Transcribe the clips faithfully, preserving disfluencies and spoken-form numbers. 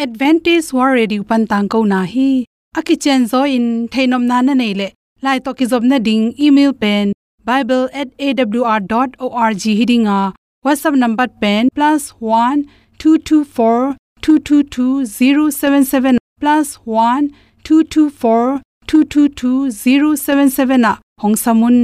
Adventist World Radio pan tangkona hi. A kicianzaw in theihnopna na neih leh, lai tawh kizopna ding email pen bible at A W R dot org hi ding a, WhatsApp number pen plus one two two four two two two zero seven seven, plus one two two four two two two zero seven seven ah hong sam un.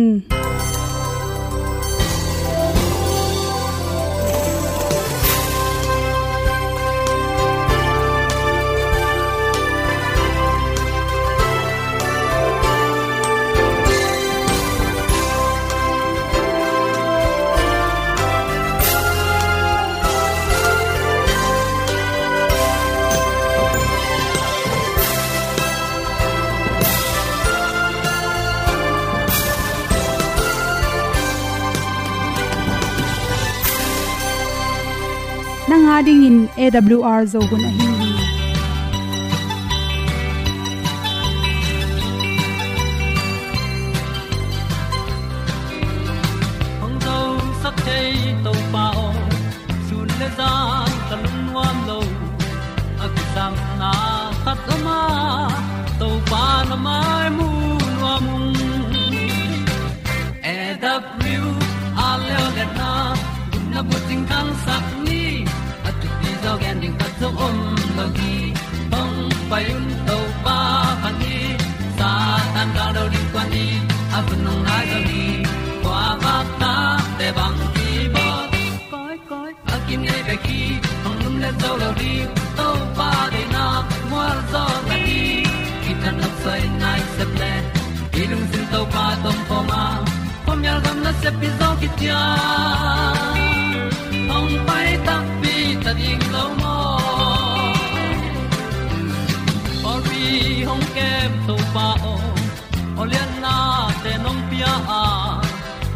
Nang a dingin A W R Zo hun ahi hi. Hong zosak thei Topa aw, sun le zan ka lungnuam lo. A kisapna khat om a, Topa na mai mu nuam ung. A W R leo le na, gupna bucing khangsak ni. A thupi zaw gen ding khat zong om lo hi. Hong pai un Topa phat ni. Satan gal do ding kua ni. A hun hong nai zo hi. Kua vak ta te bang ki bawt. Koi koi a kinei bek hi. Hong lum le zo lo ding. Topa deihna mual zaw na hi. Kithat nop soi nai sep le. I lungsim Topa tawh om khawm a, khuamial gam nasep pi zaw kician. Hong pai takpi ta ding lo maw? Pawlpi hong kem Topa aw, aw lianna te nong pia a,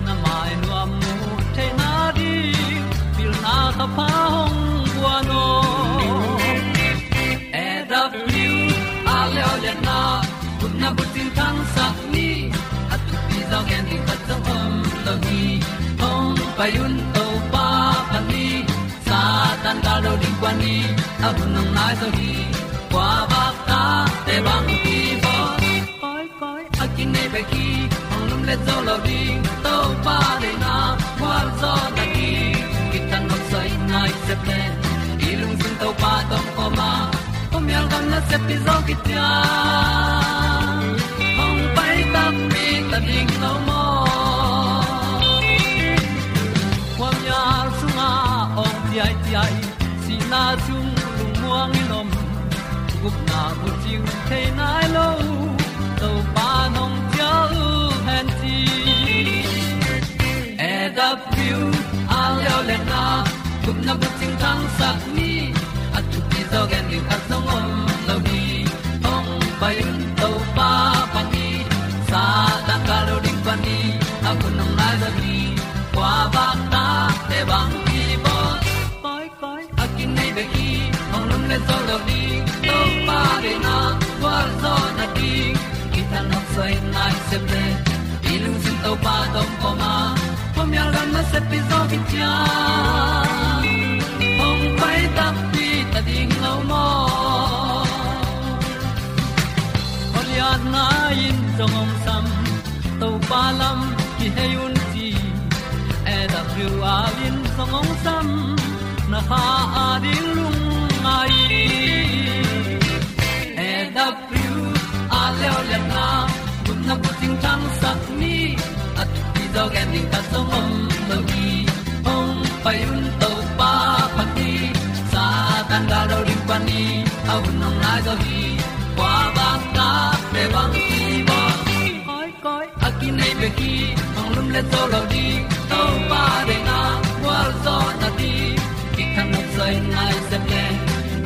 na mai nuam mu theihna ding, pilna ka pha hong guan aw. A W R leo le na, gupna bucing khangsak ni. A thupi zaw gen ding khat zong om lo hi. Hong pai un Topa phat ni. Satan gal do ding kua ni. A hun hong nai zo hi. Kua vak ta te bang ki bawt. Koi koi a kinei bek hi. Hong lum le zo lo ding. Topa deihna mual zaw na hi. Kithat nop soi nai sep le. I lungsim Topa tawh om khawm a, khuamial gam nasep pi zaw kician. Hong pai takpi ta ding lo maw? Khuamial sungah awng ciaiciai, sihna sung lungmuang in om. Gupna bucing thei nai lo, Topa nong cial hen ci. A W R leo le na, gupna bucing khangsak ni. A thupi zaw gen ding khat zong om lo hi. Hong pai un Topa phat ni. Satan gal do ding kua ni. A hun hong nai zo hi. Kua vak ta te bang ki bawt. Koi koi a kinei bek hi. Hong lum le zo lo ding. Topa deihna mual zaw na ding. Kithat nop soi nai sep le. I lungsim Topa tawh om khawm a, khuamial gam nasep pi zaw kician. Hong pai takpi ta ding lo maw? Aw lianna in zong hong sam, Topa lam kihei un ci. A W R in zong hong sam, na kha a ding lungngai. A W R leo le na, gupna bucing khangsak ni. A thupi zaw gen ding khat zong om lo hi. Hong pai un Topa phat ni. Satan gal do ding kua ni. A hun hong nai zo hi. Kua vak ta te bang ki bawt. Koi koi a kinei bek hi. Hong lum le zo lo ding. Topa deihna mual zaw na ding. Kithat nop soi nai sep le.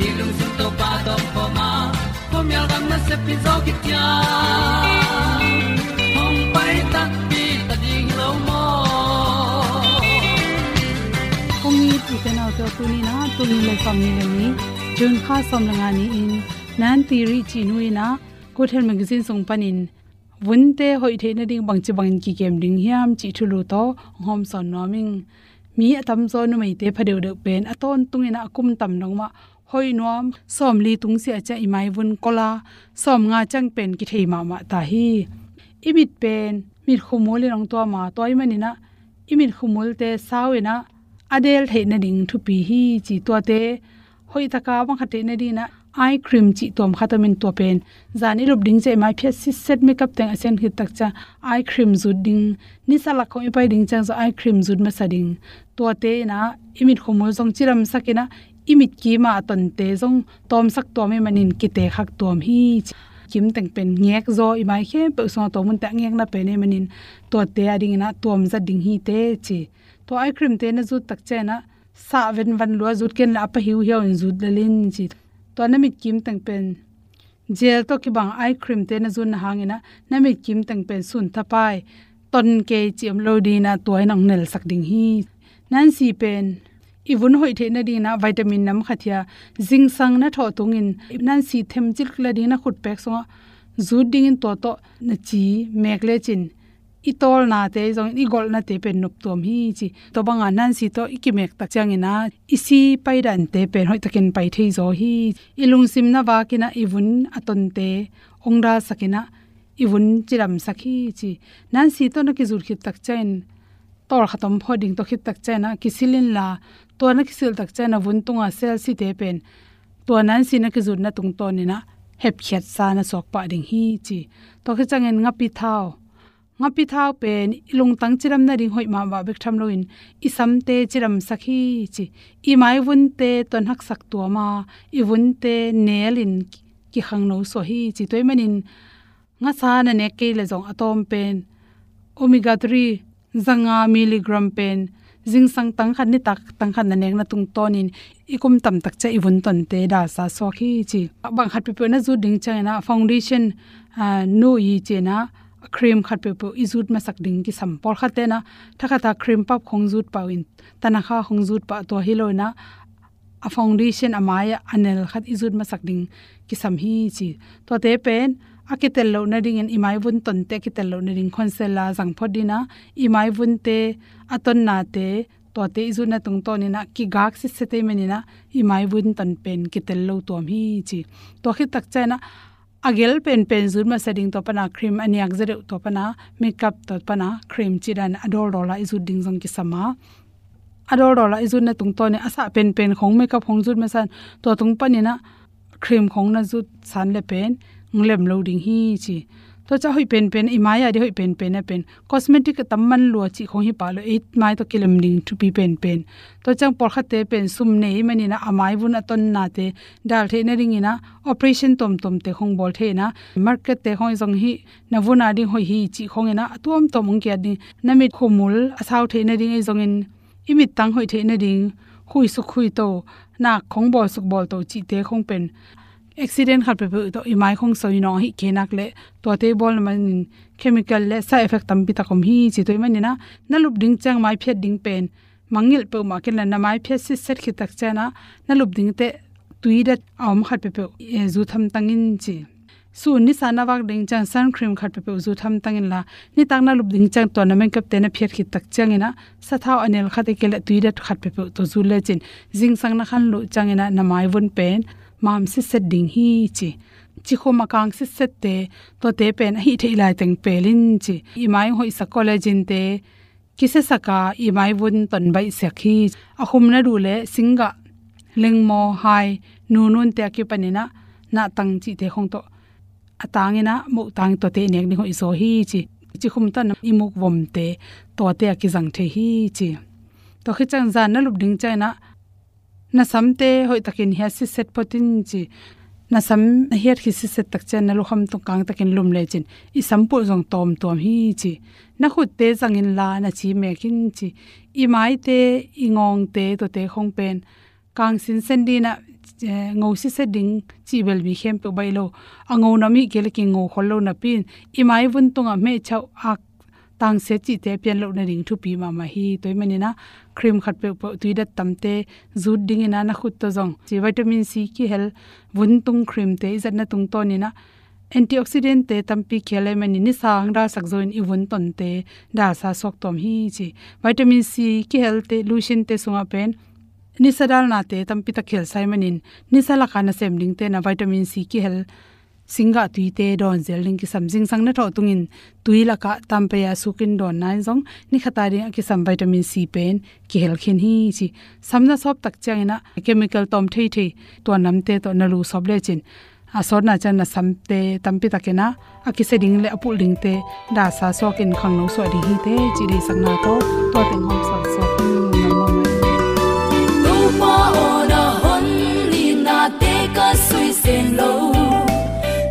I lungsim Topa tawh om khawm a, khuamial gam nasep pi zaw kician. Hong pai takpi ta ding lo maw? Kong it i te nau te, tuni in ah, tul nih le sawmnih le nih, June kha sawm le nga ni-in, Nan Ti Ri cih nu in ah, Good Health Magazine sung panin, vunte hoih theih nading bangci bangin kikem ding hiam cih thulu tawh hong hawmsawn nuam ing. Mi a tamzaw numeite pha deuhdeuh pen a tawntung in ah a kum tam dong mah hoih nuam, sawmli tung sia ciang i maivun kol a, sawmnga ciang pen kithei mahmah ta hi. I mit pen mit khumul in hong tuam a, tua ahih manin ah i mit khumul te sau in ah a del theih nading thupi hi ci. Tuate hoih taka bang khat theih nading in ah eye cream cih tuam khat om in, tua pen zan i lup ding ciang i mai phiat sitset, makeup teng a sian khit tak ciang eye cream zut ding, nisa lak khong i pai ding ciang zong eye cream zut masa ding. Tuate in ah i mit khumul zong cidamsak in ah i mit kim a a tonte zong tawmsak tuam ahih manin kitekhak tuam hi ci. Kim teng pen ngek zaw, i mai khempeuh sungah tua munte a ngekna pen ahih manin tuate a ding in ah tuam zat ding hi teh ci. Tua eye cream te na zut tak ciang in ah sah venvan lua zut ken la, a pa hiuhiau in zut lel in ci. Tua na mit kim teng pen gel tawh kibang eye cream te na zutna hangin ah na mit kim teng pen sun thapai, ton kei cih om lo ding in ah tua in hong nelsak ding hi. Nansi pen i vun hoih theih nading in ah vitamin nam khat hi a, zingsang na thawh tungin nansi them cilk le ding na khutpek sungah zut dingin tua tawh na ci mek lecin i tawlnate zongin i golhnate pen noptuam hi ci. Tua banga nansi tawh i kimek tak ciangin ah i si paidante pen hoihtakin pai thei zaw hi. I lungsim na vak in ah i vun a tonte hong dalsak in ah i vun cidamsak hi ci. Nansi tawh na kizut khit tak ciangin tawlkhat om phot ding, tua khit tak ciangin ah kisil inla, tua na kisil tak ciangin a vun tunga cell-te pen tua nansi na kizutna tungtawnin ah hepkhiatsa na suak pah ding hi ci. Tua khit ciangin ngapi thau, ngapi thau pen i lungtang cidam nading hoih mahmah bek tham loin i samte cidamsak hi ci. I maivunte tuan haksak tuam a, i vunte nelin kikhangno suak hi ci. Tua ahih manin ngasa na nek kei le zong a tawm pen omega three zanga milligram pen zingsang tangkhat, nitak tangkhat na nekna tungtawnin i kum tamtak ciang i vun tonte dalsa suak hi ci. Bang khat peuhpeuh na zut ding ciangin ah foundation, ah, nu i ci-in ah cream khat peuhpeuh i zut masak ding kisam. Pawlkhatte in ah thakhata cream pap khong zut pah uh in, tanakha khong zut pah, tua hi lo in ah a foundation a mai-ah a nel khat i zut masak ding kisam hi ci. Tuate pen a kitel loh nadingin i maivun tonte a kitel loh nading concealer zang phot ding in ah i maivunte a tonnate tuate i zutna tungtawnin ah kigak sitset ahih manin ah i maivun ton pen kitel lo tuam hi ci. Tua khit tak ciangin ah a gel penpen zut masa ding, tua pana cream a niak zaw deuh, tua pana makeup, tua pana cream cih dan a dawldawl a i zut ding zong kisam a, a dawldawl a i zutna tungtawnin a sah penpen khong makeup khong zut masa in tua tung panin ah cream khong na zut san le pen nglem lo ding hi ci. Tua ciang hoih penpen, i mai-ah ding hoih penpen a pen cosmetic a tam man lua cih khong hi pah lo, i mai tawh kilem ding thupi penpen. Tua ciang pawlkhatte pen sum nei ahih manin ah a maivun a tonnate dal theih nadingin ah operation tuamtuamte khong bawl thei in ah, markette khong i zong hi na vun a ding hoih hi cih khongin ah a tuamtuam hong kiat ding, na mit khumul a sau theih nading i zongin i mittang hoih theih nading khuisuk khuito, nak khong bawlsuk bawlto cihte khong pen accident khat peuhpeuh tawh i mai khong soi nawng ahih kei nak leh tuate bawlna manin chemical le side effect tampi tak om hi ci. Tua ahih manin ah na lup ding ciang mai phiat ding pen mangngilh peuhmah kei in la, na mai phiat sitset khit tak ciangin ah na lup ding teh tui dat a om khat peuhpeuh, eh, zut hamtang in ci. Sun nisa na vak ding ciang sun cream khat peuhpeuh zut hamtang in la, nitak na lup ding ciang tua na makeup te na phiat khit tak ciangin ah sathau a nel khat, ahih kei leh tui dat khat peuhpeuh tawh zut lecin zingsang na khan loh ciangin ah na maivun pen mam sitset ding hi ci. Cikhum a kang sitsette, tuate pen a hih theih lai teng pel in ci. I mai hoihsak collagen te kisiasak a i maivun ton baihsiak hi. A khum na duh leh singgah, lengmaw, hai, nununte a kipanin ah nahtang cihte khong tawh a tangin ah mohtang, tuate i nek ding hoih zaw hi ci. Cikhum tawh na i muk vomte tuate a kizang thei hi ci. Tua khit ciang zan na lup ding ciangin ah na samte hoihtakin hiat sitset phot in ci. Na sam na hiat khit sitset tak ciang na lukham tung kangtakin lum lecin i sampulh zong tawmtuam hi ci. Na khutte zang in la, na ci mek in ci. I maite, i ngawngte, tuate khong pen kang sinsen ding in ah, eh, ngo sitset ding cih bel mi khempeuh baih lo. A ngo nam ahih kei leh kingo khol lo napi in i maivun tungah mehchauh, ak, tangsia cihte a pian loh nading thupi mahmah hi. Tua ahih manin ah cream khat peuhpeuh, tui dat tamte zut dingin ah na khut tawh zong ci, vitamin C kihel vuntung cream te i zatna tungtawnin ah antioxidant te tampi kihel ahih manin nisa hong dalsak zawin i vun tonte dalsa suak tuam hi ci. Vitamin C kihelte, lotion te sungah pen nisa dalnate tampi tak kihel sa ahih manin nisa laka nasem dingte na vitamin C kihel singgah tuite dawn zel ding kisam. Zingsang na thawh tungin tui lakah tampaya sukin dawnna in zong ni khat a ding a kisam vitamin C pen kihel khin hi ci. Sam na sawp tak ciangin ah chemical tawm theithei tuan lamte tawh na lu sawp lecin a sawtna ciang na samte tampi takin ah a kisia ding le a pulh dingte dasa suakin khangno suah ding hi teh ci deihsakna tawh tua teng hong suak suak in. Topa aw, na hon itnate ka sui seng lo,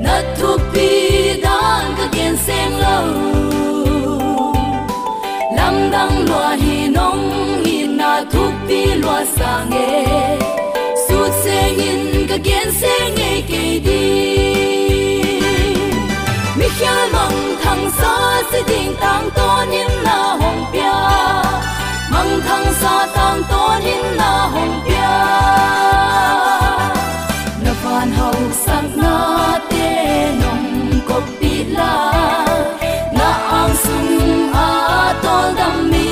na thupi dan ka gen seng lo. Lamdang lua hi, nong itna thupi lua sang e, sut sengin ka gen seng ngei kei ding. Mikhial mangthangsa si ding tangtawn in na hong pia, mangthangsa tangtawn in na hong pia. Na van hausaknate nong koppih la, na ang sungah tawldam mi.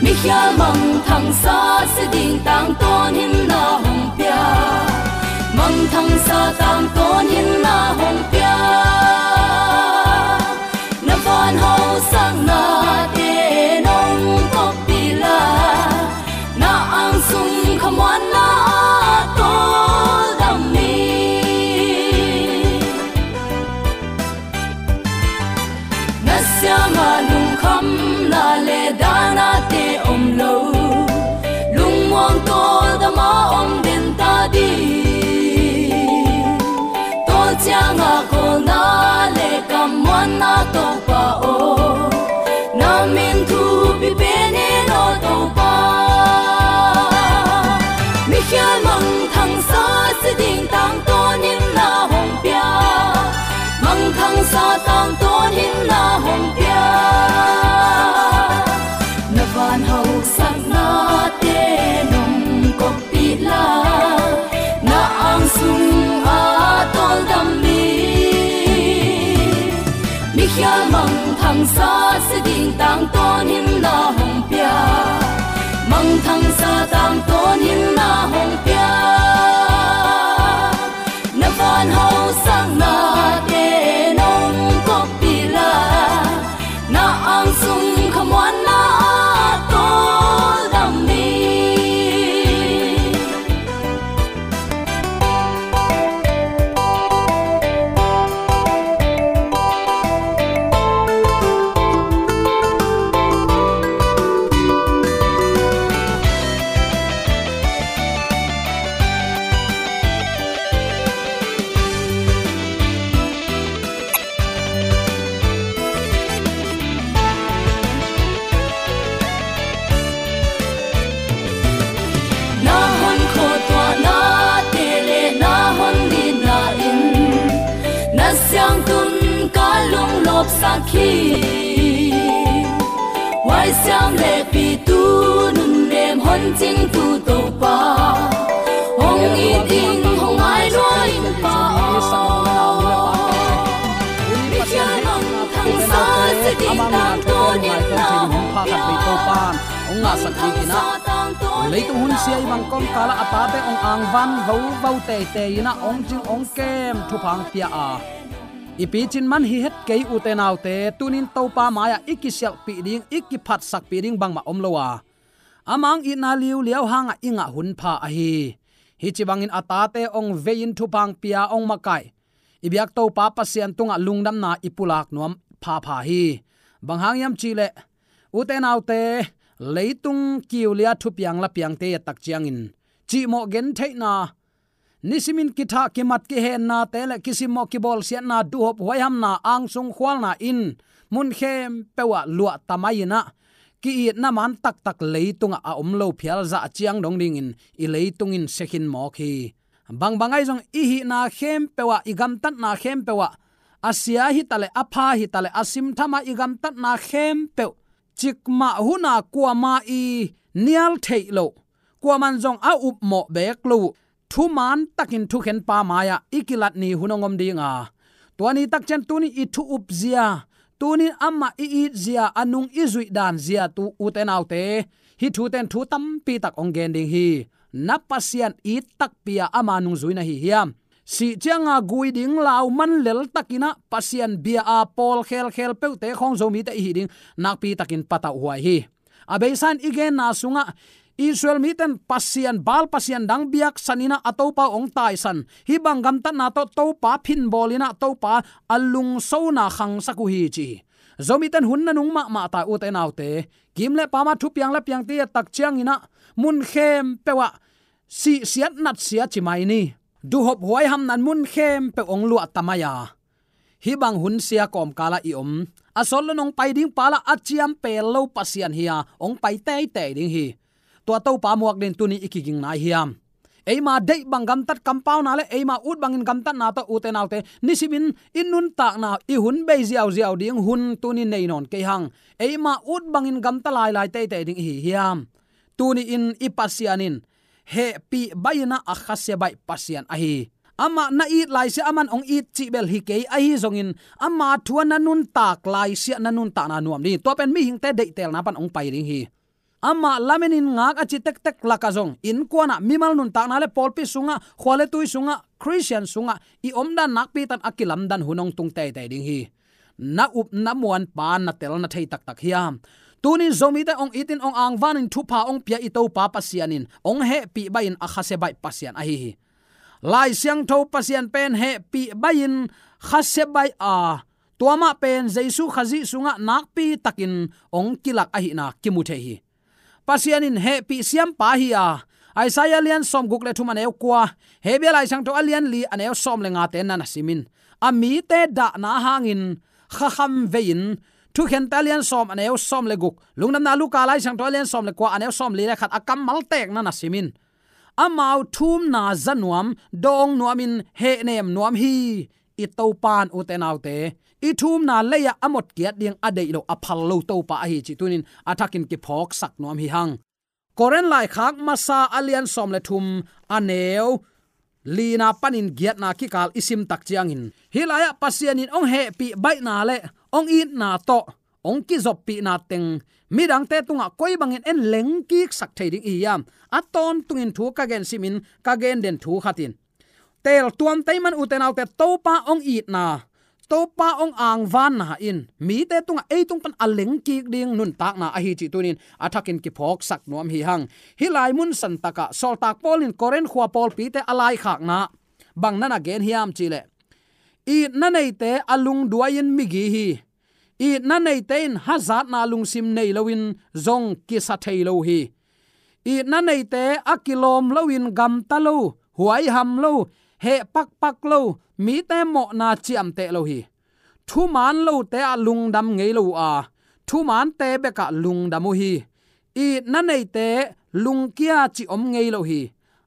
Mikhial mangthangsa si ding tangtawn in na hong pia, mangthangsa tangtawn in na hong pia. Na van hausaknate nong koppih la, na ang sung khamuanna ah tawldam mi. Na siangah lungkhamna le danate om lo, lungmuang tawldam a om den ta ding. Tawlciangah kawlna le kammuanna Topa aw, na min thupi pen in aw Topa. Mikhial mangthangsa si ding tangtawn in na hong pia, mangthangsa tangtawn in na hong pia. Na van hausaknate nong koppih la, na ang sungah tawldam mi. Mikhial mangthangsa si ding tangtawn in na hong pia, mangthangsa tangtawn in na hong pia. Na van hausaknate nong koppih la, na ang sung khamuanna ah tawldam mi. Na hon khuatuahnate le na hon itna in na siangtun ka lunglawpsak hi. Huaisiam le pitu nunnem hon cingtu Topa, hong it in hong ngai lua in Pa aw. Mikhial mangthangsa si ding tangtawn in na hong pia, mangthangsa tangtawn in na hong pia. Leitung hun sia i bang kawmkal ah a tate hong angvan vovo teitei in ah hong cing hong kem thupha hong pia a, i picin man hi het kei ute naute. Tunin Topa mai-ah i kisialhpih ding, i kiphatsakpih ding bangmah om lo a, ama hong itna liuliau hangah i ngah hun pha ahi hi. Ci bangin a tate hong vei-in thupha hong pia, hong makaih i biak Topa Pasian tungah lungdamna i pulak nuam phapha hi. Bang hang hiam cihleh ute naute, leitung kiulia thupiang lapiangte i et tak ciangin cihmawh gentheihna, nisimin kithah kimat kihennate le kisimmawh kibawlsiatna, duhhop huaihamna, angsung khualna in mun khempeuh ah luah tamai in ah, ki-itna man taktak leitungah a om lo phial zah ciang dong dingin i leitung in sia khin mawk hi. Bangbang ahi zong i hihna khempeuh ah, i gamtatna khempeuh ah, a sia hitaleh, a pha hitaleh, a simtham ah i gamtatna khempeuh, cikmah hun a kuamah i nial theih loh, kuamah in zong a upmawh beek lo uh, thuman takin thukhenpa mai-ah i kilat ni hun hong om ding a, tua ni tak ciang tuni i thu upzia, Tunin amah i itzia, a nung i zuih dan zia, tu ute naute, hih thute in thu tampi tak hong gen ding hi. Na Pasian it takpi a ama nungzui na hi hiam? Sih cianga gui ding lau man lel takin ah Pasian bia a pawl khelkhel peuhte khawng Zomite i hih ding nakpi takin patauhhuai hi. A beisa in i genna sungah Israel mite in pasian, Baal pasian dang biaksan in ah a Topa uh hong taisan, hih bang gamtatna tawh Topa phinbawl in ah Topa a lungsona khangsak uh hi ci hi. Zomite in hun nanung mahmah ta ute naute. Kim le pam a thupiang le piangte i et tak ciangin ah mun khempeuh ah sihsiat natsia ci mai ni. Duhhop huaihamna in mun khempeuh hong luah ta mai a, hih bang hun sia kawmkal ah i om, a sawt lo in hong pai ding pa lah a ciam pel lo Pasian hi a, hong pai teitei ding hi. Tua Topa muak dingin tuni i kiging nai hiam? Eima deih bang gamtat kampauna le eima ut bangin gamtatna tawh ute naute, nisimin i nuntakna, i hun bei ziauziau ding hun tuni nei nawn kei hang. Eima ut bangin gamta lailai teitei ding i hi hiam? Tuni-in i Pasian in hehpih baih in ah a khasia baih Pasian ahi hi. Amah na it laisiah aman hong it cih bel hi kei, ahi zongin ama thu a na nuntak laisiah na nuntakna nuam ding hi. Tua pen mihingte deihtelna pan hong pai ding hi. Amah lamenin ngak a ci tektek lakah zong innkuan ah, mimal nuntakna le pawlpi sungah, khua le tui sungah, Khristian sungah i omdan nakpi takin a kilamdan hun hong tung teitei ding hi. Na up na muanpa na tel na thei taktak hiam? Tunin Zomite hong itin hong angvanin thupha hong pia i Topa Pasian in hong hehpih baih in a khasia baih Pasian ahi hi. Lai Siangtho Pasian pen hehpih baih in khasia baih a, tua mah pen Jesu Khazih sungah nakpi takin hong kilak ahihna kimu thei hi. Pasian in hehpih siampa hi a, Isaiah a lian sawmguk le thum a neu kua, Hebru Lai Siangtho a lian li a neu sawm le ngate na na simin, a mite dahna hangin khakham vei-in, Thukhente a lian sawm a neu sawm le guk, Lungdamna Luka Lai Siangtho a lian sawm le kua a neu sawmli le khat a kammal tek na na simin, amau thumna za nuam, dawng nuamin hehnem nuam hi. I Topa in ute naute, i thumna lei-ah a motkiat ding a deih lo, a phal lo Topa ahi cih tunin a thakin kiphawksak nuam hi hang. Korin laikhak masa a lian sawm le thum a neu lina panin giatna kikal i sim tak ciangin, hih lai-ah Pasian in hong hehpih baihna le hong itna tawh hong kizoppihna teng midangte tungah koi bangin en lengkiksak thei ding i hi hiam? A tawntungin thu ka gen simin ka gen den thu khat in, teeltuam tei man ute naute, Topa hong itna, Topa hong angvanna in mite tungah ei tung pan a lengkik ding nuntakna ahi cih tunin a thakin kiphawksak nuam hi hang. Hih lai mun santakah Sawltak Paul in Korin khua pawlpite a laikhakna bang na na gen hiam cihleh, itna neite a lungduai-in migi hi. Itna neite in hazatna lungsim nei loin zong kisa thei lo hi. Itna neite a kilawm loin gamta lo, huaiham lo, heh pakpak lo, mite mawhna ciamteh lo hi. Thuman lote ah lungdam ngei lo uh a, thumante bekah lungdam uh hi. Itna neite lungkia cih om ngei lo hi.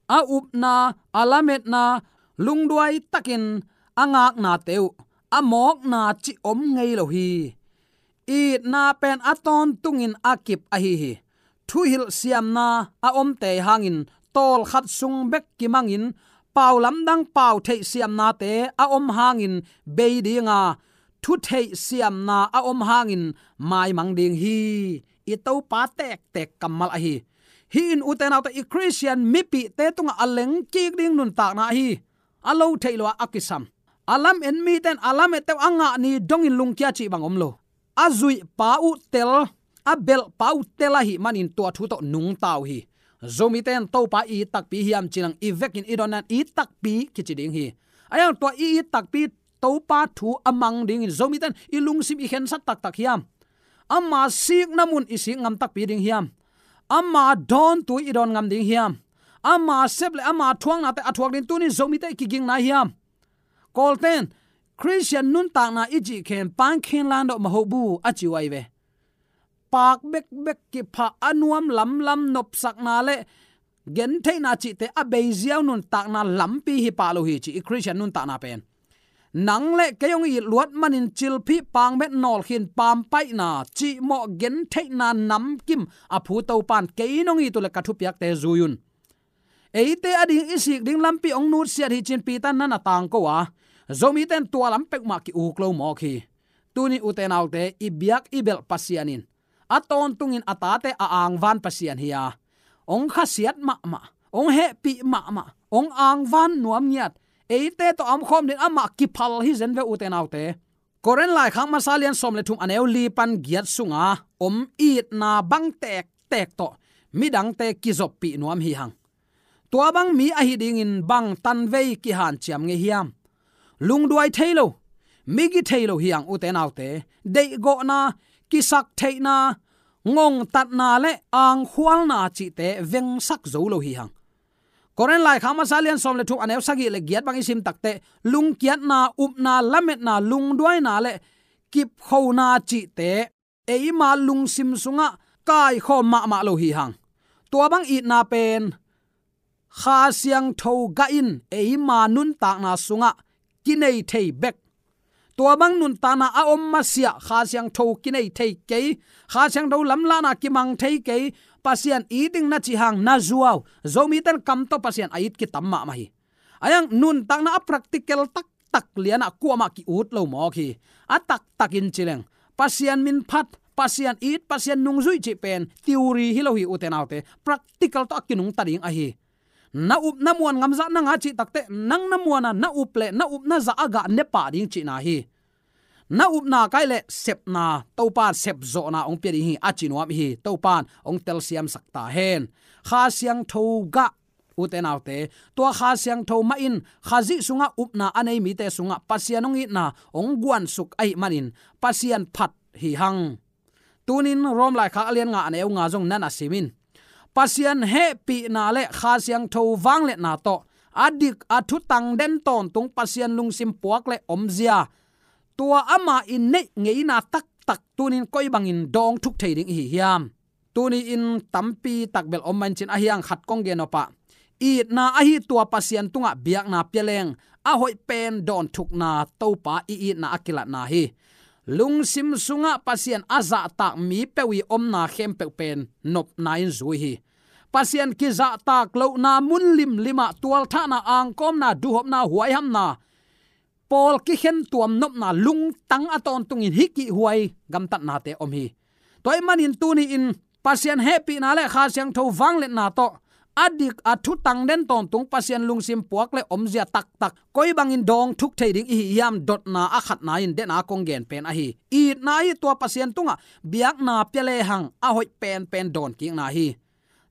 A upna, a lametna, lungduai takin a ngaknate uh, a mawkna cih om ngei lo hi. Itna pen a tawntungin a kip ahi hi. Thuhilh siamna a omte hangin tawlkhat sung bek kimangin pau lamdang pau theih siamnate a om hangin bei dinga, thu theih siamna a om hangin maimang ding hi. I Topa tektek kammal ahi. Hih in ute naute, i Khristian mipihte tungah a lengkik ding nuntakna ahi. A lo theih lo-ah a kisam, a lamen mite in a lamette uh a ngah ni dongin lungkia cih bang om lo. A zuihpa uh tel, a belhpa uh tel ahih manin tua thu tawh nungta uh hi. Zomite in Topa i it takpi hiam cih nang i vekin i donna in it takpi kici ding hi. A yang tua i it takpi Topa thu a mang dingin Zomite in i lungsim i khensat taktak hiam? Ama sikna mun i sik ngam takpi ding hiam? Ama dawntu i dawn ngam ding hiam? Ama sep le ama thuaknate a thuak ding tunin Zomite i kiging nai hiam? Kawlten, Khristian nuntakna i cih khen pangkhin landawh mahoh bu a ci uh ahi ve. Paak bekbek kiphah, a nuam lamlam, nopsakna le gentheihna cihte a bei ziau nuntakna lampi hi pah lo hi ci, i Khristian nuntakna pen. Nang le kei hong it luat manin cilphih, pangmet, nawlkhin, pampaihna, cihmawh, gentheihna namkim a phu Topa in kei nong it uh leh ka thupiakte zui un. Eite ading i sik ding lampi hong nutsiat hi ci-in Peter in na na tangko a, Zomite in tua lam peuhmah ki-uk lo mawk hi. Tuni ute naute, i biak i belh Pasian in a tawntungin a tate a angvan Pasian hi a, hong khasiat mahmah, hong hehpih mahmah, hong angvan nuam ngiat, eite tawh a omkhawm dingin amah kiphal hi zen ve ute naute. Korin laikhak masa lian sawm le thum a neu li pan giat sunga om itna bang tektek tawh midangte kizoppih nuam hi hang. Tua bang mi ahi dingin bang tanvei kihanciam ngei hiam? Lungduai thei lo, migi thei lo hi hang ute naute. Deihgawhna, kisaktheihna, ngongtatna le angkhualna cihte vengsak zo lo hi hang. Korin laikhak masa lian sawm le thum a neu sagih le giat bang i sim takteh, lungkiatna, upna, lametna, lungduaina le kipkhona cihte eima lungsim sungah kaikhawm mahmah lo hi hang. Tua bang itna pen Kha Siangtho gah in eima nuntakna sungah kinei thei bek. Tua bang nuntakna a om masiah Kha Siangtho kinei thei kei, Kha Siangtho lamlahna kimang thei kei, Pasian it ding na cih hang na zuau. Zomite in kam tawh Pasian a it kitam mahmah hi. Ahi hang nuntakna a practical taktak lianah kuamah ki-ut lo mawk hi. A taktakin ci leng, Pasian min phat, Pasian it, Pasian nungzuih cih pen theory hi lo hi ute naute. Practical tawh a kinungta ding ahi. Na up na muan ngamzah na ngah cih takteh, nang na muan a na up le na up na zah a gah ne pah ding cihna hi. Na upna kaih le sepna, Topa in sepzawhna hong pia ding hi a ci nuam hi. Topa in hong telsiamsak ta hen. Kha Siangtho gah ute naute, tua Kha Siangtho mah in Khazih sungah upna a nei mite sungah Pasian hong itna hong guansuk ahih manin Pasian phat hi hang. Tunin Rom laikhak a lian nga a neu nga zong na na sim in. Pasian hehpihna le Kha Siangtho vangliatna tawh a dik a thutang den tawntung Pasian lungsim puak le omzia, tua amah i neih ngeina taktak tunin koi bangin dawng thuk thei ding i hi hiam? Tuni-in tampi tak bel om manin cin, ahi hang khat kong gen nop ah, itna ahi tua Pasian tungah biakna pia leng a hoih pen dawnthukna, Topa i itna a kilatna hi. Lungsim sungah Pasian a zahtak mi peuh i omna khempeuh pen nopna in zui hi. Pasian kizahtak lohna mun limlimah tualthahna, angkawmna, duhhopna, huaihamna, pawl kikhen tuam nopna, lungtang a tawntungin hih kihhuai gamtatnate om hi. Tua ahih manin tuni-in Pasian hehpihna le Kha Siangtho vangliatna tawh a dik a thutang den tawntung Pasian lungsim puak le omzia taktak koi bangin dawng thuk thei ding i hi hiam dotna a khatna in dena kong gen pen ahi. Itna ahi tua Pasian tungah biakna pia lehang a hoih penpen dawnkikna hi.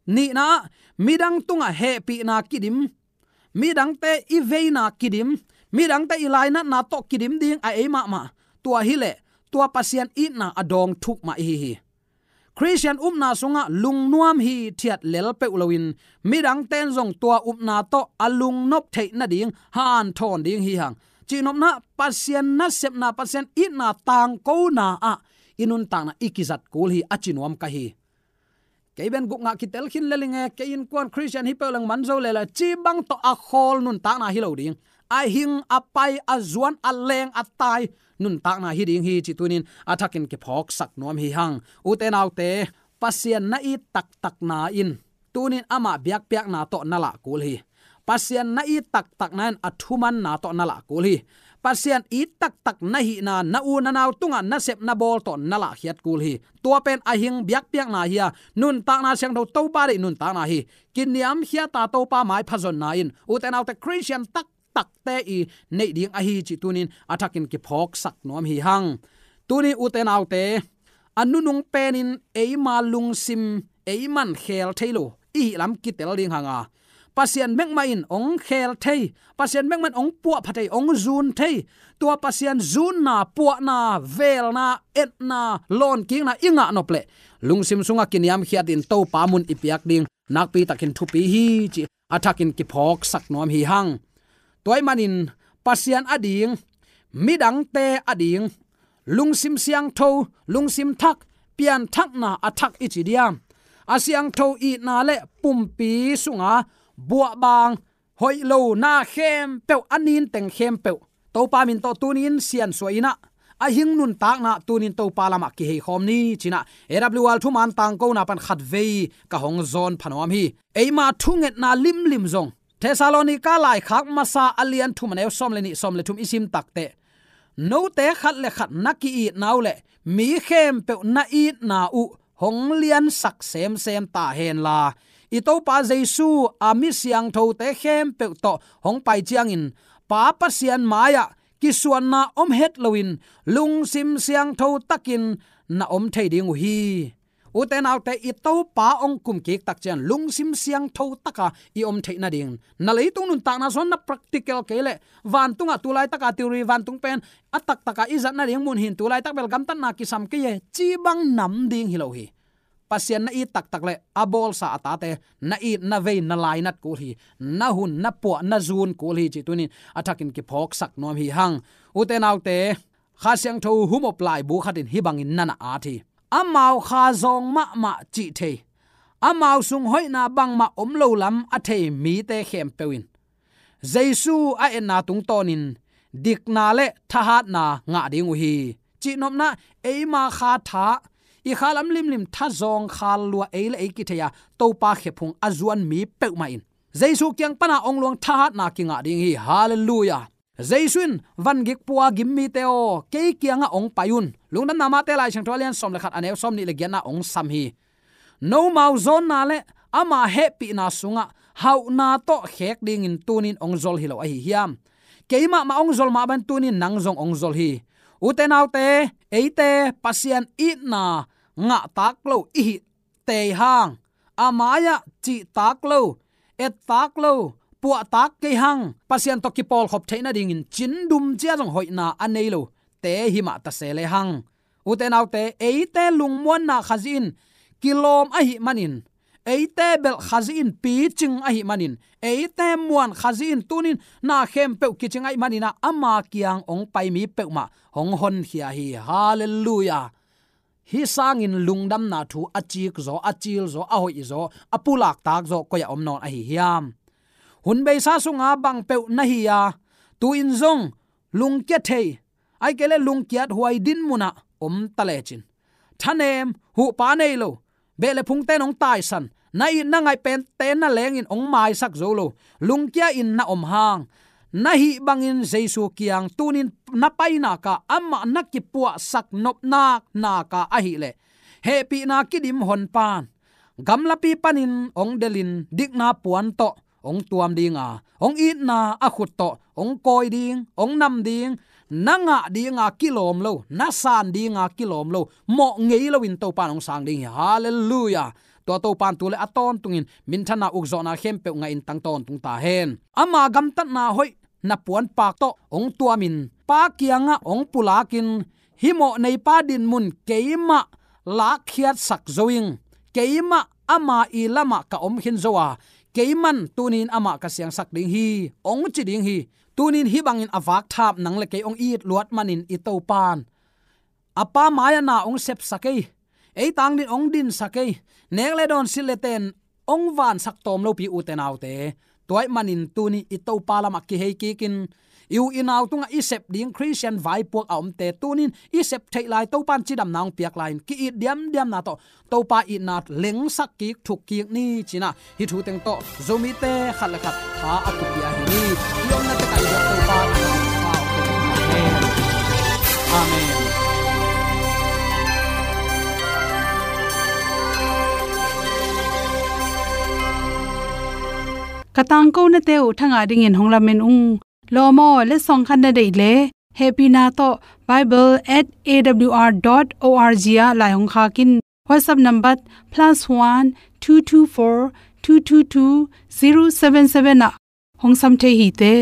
Nihna ah, midang tungah hehpihna kidim, midangte i veina kidim, midangte i lainatna tawh kidim ding a ei mahmah. Tua hileh tua Pasian itna a dawng thuk mah i hi hi. Khristian upna sungah lungnuam hithiat lel peuh loin midangte in zong tua upna tawh a lungnop theih nading hanthawn ding hi hang. Cihnopna, Pasian nasepna, Pasian itna tangkona ah i nuntakna i kizat kul hi a ci nuam ka hi. Kei bel guk ngah kitel khin lel ing e, kei innkuan Khristian hi peuh leng man zo lel e, ci bang tawh a khawl nuntakna hi lo ding. A hing, a pai, a zuan, a leng, a tai nuntakna hi ding hi cih tunin a thakin kiphawksak nuam hi hang. Ute naute, Pasian na it taktakna in tunin amah biakpiakna tawh na lah kul hi. Pasian na it taktakna in a thumanna tawh na lah kul hi. Pasian it taktak na hihna, na u na nau tungah na sep na bawl tawh na lahkhiat kul hi. Tua pen a hing biakpiakna hi a, nuntakna siangtho Topa deih nuntakna hi. Kiniamkhiat a Topa maipha zonna in ute naute Khristian taktakte i neih ding ahi cih tunin a thakin kiphawksak nuam hi hang. Tuni ute naute, a nunung penin eima lungsim eiman khel thei lo i hih lam kitel ding hang a, Pasian bek mah in hong khel thei, Pasian bek mah in hong puahpha thei, hong zun thei. Tua Pasian zunna, puahna, velna, etna, lawnkikna i ngah nop leh lungsim sungah kiniamkhiatin Topa mun i piak ding nakpitakin thupi hi cih a thakin kiphawksak nuam hi hang. Tua ahih manin Pasian ading, midangte ading, lungsim siangtho, lungsim thak, pianthakna a thak i ci diam? A siangtho itna le pumpi sunga buahbang, hoih lona khempeuh, a ninteng khempeuh Topa min tawh tunin siansuah in ah, a hing nuntakna tunin Topa lamah kiheikhawm ni ci-in ah, A W R thuman tangkona pan khatvei ka hong zawn pha nuam hi. Eima thungetna limlim zong Thessalonika laikhak masa a lian thum a neu sawm le nih, sawm le thum i sim takteh, note khat le khat na ki-itna uh le mi khempeuh na itna uh hong liansak semsem ta henla, i Topa Jesu a mi siangthote khempeuh tawh hong pai ciangin Pa Pasian mai-ah kisuanna om het loin lungsim siangtho takin na om thei ding uh hi. Ute naute, i Topa hong kum kik tak ciang lungsim siangtho taka i om theih nading, na leitung nuntakna zong na practical kei leh vantungah tu laitaka theory vantung pen a taktaka i zat nading mun hin, tu laitak bel gamtatna kisam kei e ci bang nam ding hi lo hi. Pasian na it taktak le a bawlsa a tate na it na vei na lainat kul hi, na hun na puah na zun kul hi cih tunin a thakin kiphawksak nuam hi hang. Ute naute, Kha Siangtho humop laibu khatin hih bangin na na at hi. Amau kha zawng mahmah cih thei, amau sung hoihna bangmah om lo lam a thei mite khempeuh in Jesu a etna tungtawnin dikna le thahatna ngah ding uh hi. Cihnopna, eima kha tha, i kha lam limlim tha zawng khal lua ei le ei kithei a Topa khephung a zuan mi peuhmah in Jesu kiang pana hong luang thahatna kingah ding hi. Halleluiah. Jesu in, "Vangik pua gim mite aw, kei kiangah hong pai un." Lungdamna Mate Lai Siangtho a lian sawm le khat, a neu sawm nih le giatna hong sam hi. Nomau zawnna le ama hehpihna sungah hauhna tawh khek dingin tunin hong zol hi lo ahi hiam? Keimah mah hong zol mah bangin tunin nang zong hong zol hi. Ute naute, eite Pasian itna ngahtak lo i hih tei hang, a mai-ah cihtak lo, ettak lo, puahtak kei hang, Pasian tawh kipawlkhop theih nadingin cindum cia zong hoihna a nei lo te hi mah ta se le hang. Ute naute, eite lungmuanna Khazih in kilawm ahih manin, eite belh Khazih in picing ahih manin, eite muan Khazih in tunin na khempeuh kicing ahih manin ah, ama kiang hong pai mi peuhmah hong honkhia hi. Halleluiah. Hih sangin lungdamna thu a cik zaw, a cil zaw, a hoih zaw, a pulaktak zaw koi-ah om nawn ahi hiam? Hun beisa sunga bang peuh na hi a, tu-in zong lungkia thei, ahih kei leh lungkiat huai din munah om ta lecin, thanem huhpa nei lo, beh le phungte in hong taisan, na it na ngaih pente na lengin hong maisak zo lo, lungkia in na om hang, na hih bangin Jesu kiang tunin na pai nak a, amah na kipuahsak nopna nak a ahih leh, hehpihna kidim honpa in gamlapi panin hong delhin dikna puan tawh hong tuam ding a, hong itna a khut tawh hong kawi ding, hong nam ding, na ngah dinga kilawm lo, na san dinga kilawm lo, mawh ngei loin Topa in hong sang ding hi. Halleluiah. Tua Topa in tu le a tawntungin minthanna, ukzawhna khempeuh ngahin tang tawntung ta hen. Ama gamtatna hoih na puanpak tawh hong tuamin Pa kiangah hong pulakin, hih mawh neipa dinmun keimah lakkhiatsak zo ing, keimah ama i lamah ka om khin zo a, keiman tunin amah ka siangsak ding hi, hong ci ding hi. Tunin hih bangin a vakthap nang le kei hong it luat manin i Topa in a Pa mai-ah na hong sepsak ei, ei tang din hong dinsak ei, nek le dawn, silh le ten hong vansak tawm lopi, ute naute. Tua ahih manin tuni i Topa lamah kihei kikin, i u i nau tungah i sep ding Khristian vaipuak a omte tunin i sep theih lai, Topa in cidamna hong piak lai-in ki-it diamdiamna tawh Topa itna lengsak kik, thuk kik ni ci-in ah, hih thu teng tawh Zomite khat le khat tha a kipia hi ni. I omna tekah i biak Topa in a hong pia hen. Amen. Ka tangkonate uh thangah dingin hong lamen ung. Lawm aw, letsong khat na deih leh, hehpihna tawh bible at A W R dot O R G ah lai hong khak in. WhatsApp number plus one two two four two two two zero seven seven ah hong sam thei hi te.